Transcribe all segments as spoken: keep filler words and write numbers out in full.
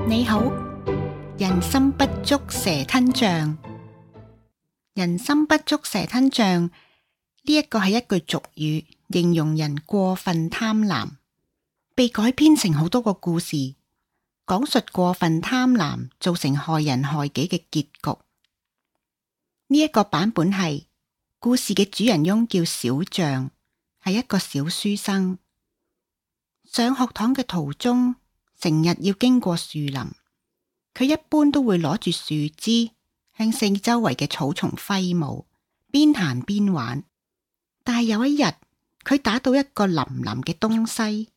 你好，人心不足蛇吞象。人心不足蛇吞象呢一個係一句俗語，形容人過分貪婪，被改編成好多個故事，講述過分貪婪造成害人害己嘅結局。呢一個版本係故事嘅主人翁叫小象，係一個小書生。上學堂嘅途中，成日要經過樹林，佢一般都會攞住樹枝向四周圍嘅草叢揮舞，邊行邊玩。但係有一日，佢打到一個腍腍嘅東西，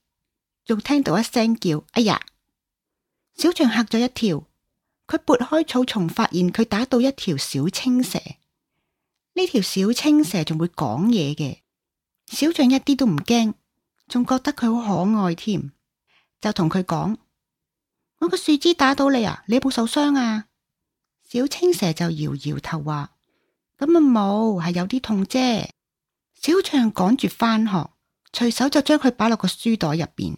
仲聽到一聲叫，哎呀！小象嚇咗一跳，佢撥開草叢，發現佢打到一條小青蛇。呢條小青蛇仲會講嘢嘅，小象一啲都唔驚，仲覺得佢好可愛添，就同佢講：我個樹枝打到你啊，你有冇受傷啊？小青蛇就搖搖頭話：咁啊冇，係有啲痛啫。小象趕住返學，隨手就將佢擺落個書袋入邊。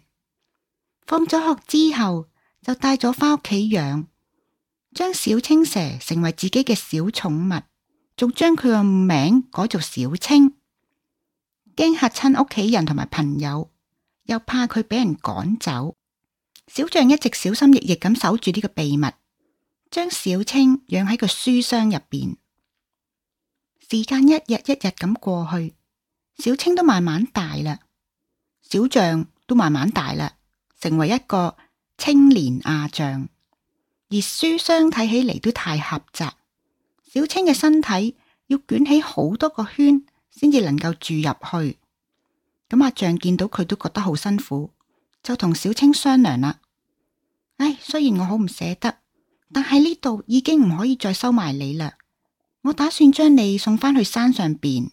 放咗學之後，就帶咗返屋企養，將小青蛇成為自己嘅小寵物，仲將佢個名改做小青。驚嚇親屋企人同埋朋友，又怕佢俾人趕走，小象一直小心翼翼咁守住呢個秘密，將小青養喺個書箱入邊。時間一日一日咁過去，小青都慢慢大啦，小象都慢慢大啦，成為一個青年亞象。而書箱睇起嚟都太狹窄，小青嘅身體要捲起好多個圈先至能夠住入去。咁阿象見到佢都覺得好辛苦，就同小青商量啦。唉，雖然我好唔捨得，但係呢度已經唔可以再收埋你啦。我打算將你送返去山上邊。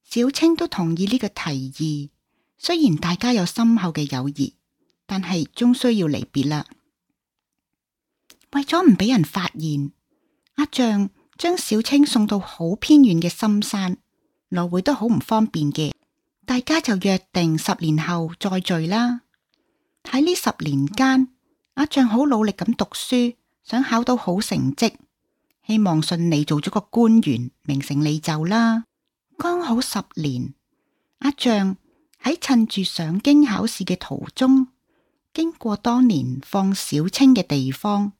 小青都同意呢個提議，雖然大家有深厚嘅友誼，但係終需要離別啦。為咗唔俾人發現，阿象將小青送到好偏遠嘅深山，來回都好唔方便嘅。大家就約定十年後再聚啦。喺呢十年間，阿象好努力咁讀書，想考到好成績，希望順利做咗個官員，名成利就啦。剛好十年，阿象喺趁住上京考試嘅途中，經過當年放小青嘅地方，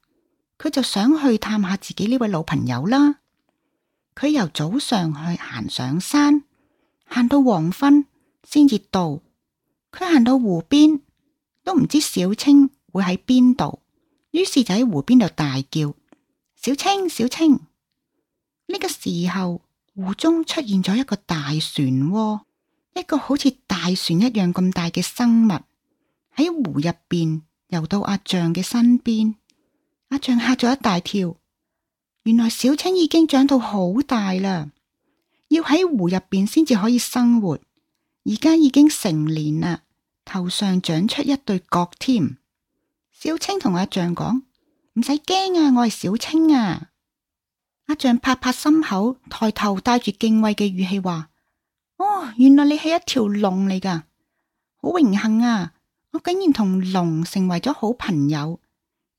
佢就想去探下自己呢位老朋友啦。佢由早上去行上山，行到黃昏先至到。佢行到湖邊，都唔知小青會喺邊度，於是就喺湖邊度大叫：小青，小青！呢個時候，湖中出現咗一個大漩渦，一個好似大船一樣咁大嘅生物喺湖入邊游到阿象嘅身邊。阿象嚇咗一大跳，原來小青已經長到好大啦，要喺湖入邊先至可以生活，而家已經成年啦，頭上長出一對角添。小青同阿象講：唔使驚啊，我係小青啊。阿象拍拍心口，抬頭帶住敬畏嘅語氣話：哦，原來你係一條龍嚟噶，好榮幸啊！我竟然同龍成為咗好朋友。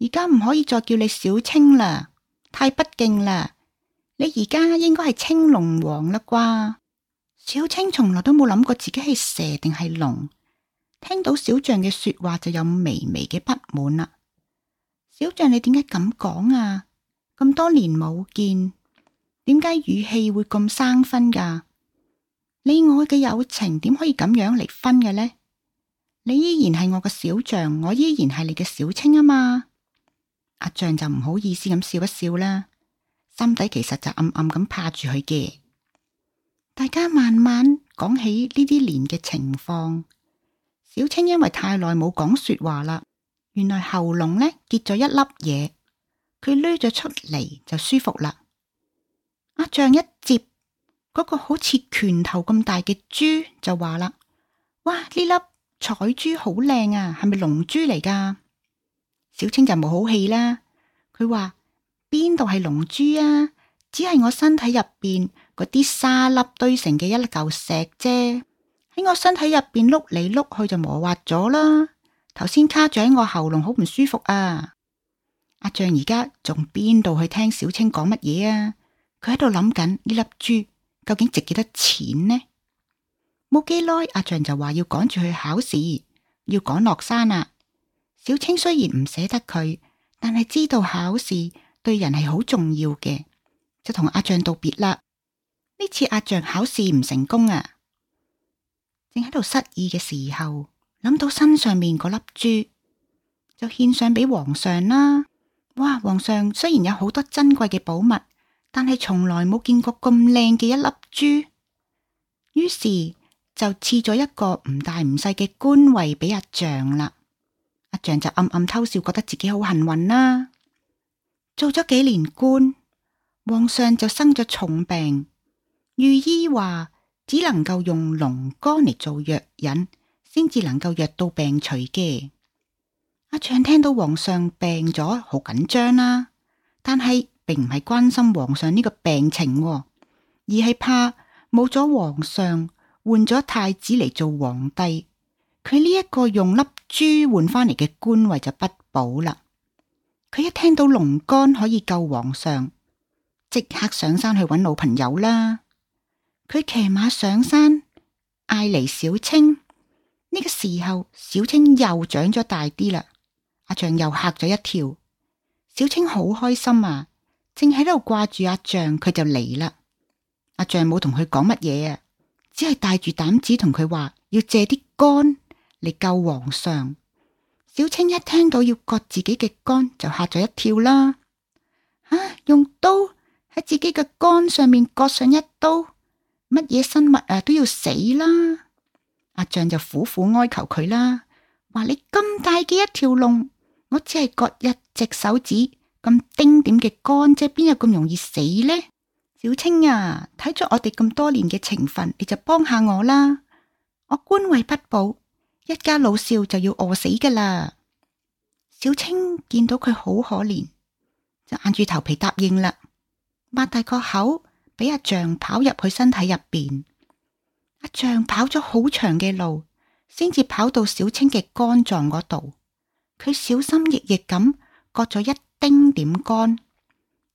而家唔可以再叫你小青啦，太不敬啦。你而家應該係青龍王啦啩？小青從來都冇諗過自己係蛇定係龍，聽到小象嘅說話就有微微嘅不滿啦。小象，你點解咁講啊？咁多年冇見，點解語氣會咁生分噶？你我嘅友情點可以咁樣離婚嘅呢？你依然係我嘅小象，我依然係你嘅小青啊嘛。阿象就唔好意思咁笑一笑啦，心底其實就暗暗咁怕住佢嘅。大家慢慢講起呢啲年嘅情況。小青因為太耐冇講說話啦，原來喉嚨呢結咗一粒嘢，佢捋咗出嚟就舒服啦。阿象一接嗰個好似拳頭咁大嘅珠就話啦：哇，呢粒彩珠好靚啊，係咪龍珠嚟噶？小青就冇好氣啦，佢話：邊度係龍珠啊？只係我身體入邊嗰啲沙粒堆成嘅一嚿石啫，喺我身體入邊碌嚟碌去就磨滑咗啦。頭先卡住喺我喉嚨，好唔舒服啊！阿象而家仲邊度去聽小青講乜嘢啊？佢喺度諗緊呢粒珠究竟值幾多錢呢？冇幾耐，阿象就話要趕住去考試，要趕落山啦。小青雖然唔捨得佢，但係知道考試對人係好重要嘅，就同阿象道別啦。呢次阿象考試唔成功啊，正喺度失意嘅時候，諗到身上面嗰粒珠，就獻上俾皇上啦。哇！皇上雖然有好多珍貴嘅寶物，但係從來冇見過咁靚嘅一粒珠，於是就賜咗一個唔大唔細嘅官位俾阿象啦。阿象就暗暗偷笑，覺得自己好幸運啦。做咗幾年官，皇上就生咗重病，御醫話只能夠用龍肝嚟做藥引，先至能夠藥到病除嘅。阿象聽到皇上病咗，好緊張啦，但係並唔係關心皇上呢個病情，而係怕冇咗皇上，換咗太子嚟做皇帝，佢呢一個用粒珠換翻嚟嘅官位就不保啦。佢一聽到龍肝可以救皇上，即刻上山去揾老朋友啦。佢騎馬上山，嗌嚟小青。呢個時候，小青又長咗大啲啦。阿象又嚇咗一跳。小青好開心啊，正喺度掛住阿象，佢就嚟啦。阿象冇同佢講乜嘢啊，只係帶住膽子同佢話要借啲肝嚟救皇上。小青一聽到要割自己嘅肝，就嚇咗一跳啦。啊，用刀喺自己嘅肝上面割上一刀，乜嘢生物啊都要死啦！阿象就苦苦哀求佢啦，話你咁大嘅一條龍，我只係割一隻手指咁丁點嘅肝啫，邊有咁容易死呢？小青啊，睇咗我哋咁多年嘅情分，你就幫下我啦！我官位不保，一家老少就要餓死噶啦！小青見到佢好可憐，就硬住頭皮答應啦，擘大個口俾阿象跑入去身體入邊。阿象跑咗好長嘅路，先至跑到小青嘅肝臟嗰度。佢小心翼翼咁割咗一丁點肝，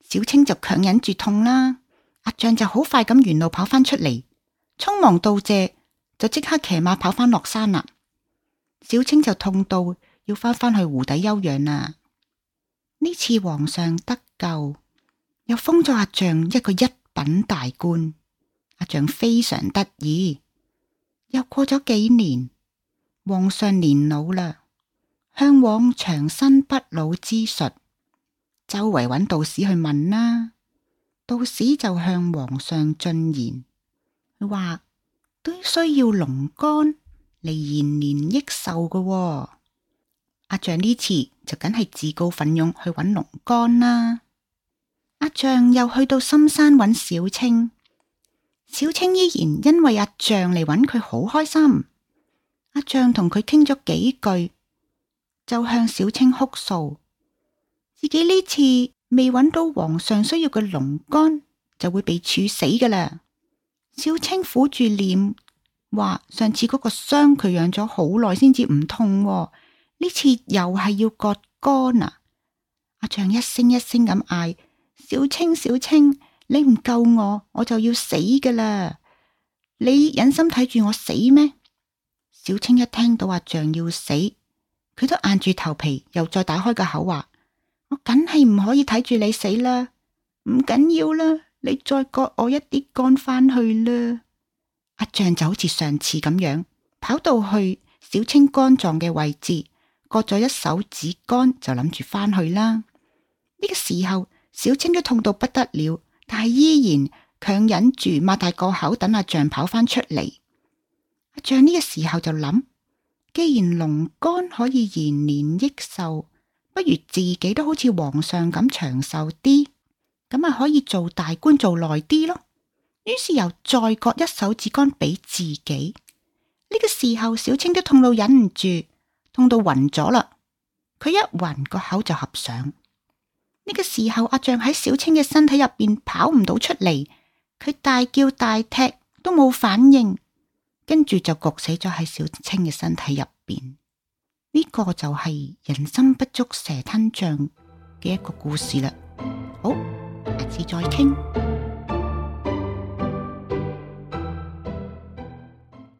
小青就強忍住痛啦。阿象就好快咁沿路跑翻出嚟，匆忙道謝，就即刻騎馬跑翻落山啦。小青就痛到要翻返去湖底休養啦。呢次皇上得救，又封咗阿象一個一品大官。阿象非常得意。又過咗幾年，皇上年老啦，向往長生不老之術，周圍揾道士去問啦。道士就向皇上進言，佢話都需要龍肝嚟延年益壽㗎喎。阿象呢次就梗係自告奮勇去揾龍肝啦。阿象又去到深山揾小青，小青依然因為阿象嚟揾佢好開心。阿象同佢傾咗幾句，就向小青哭訴，自己呢次未揾到皇上需要嘅龍肝，就會被處死㗎啦。小青苦住臉話，上次嗰個傷佢養咗好耐先至唔痛喎，呢次又係要割肝啊！阿象一聲一聲咁嗌，小青小青，你唔救我，我就要死㗎啦！你忍心睇住我死咩？小青一聽到阿象要死，佢都硬住頭皮，又再打開個口話，我梗係唔可以睇住你死啦，唔緊要啦，你再割我一啲肝翻去啦。阿象就好似上次咁樣，跑到去小青肝臟嘅位置，割咗一手指肝，就諗住翻去啦。呢個時候，小青都痛到不得了，但係依然強忍住擘大個口等阿象跑翻出嚟。阿象呢個時候就諗，既然龍肝可以延年益壽，不如自己都好似皇上咁長壽啲，咁啊可以做大官做耐啲咯。於是又再割一手指肝俾自己。呢個時候，小青都痛到忍唔住，痛到暈咗啦。佢一暈，個口就合上。呢個時候，阿象喺小青嘅身體入邊跑唔到出嚟，佢大叫大踢都冇反應，跟住就焗死咗喺小青嘅身體入邊。呢個就係人心不足蛇吞象嘅一個故事啦。好，下次再傾。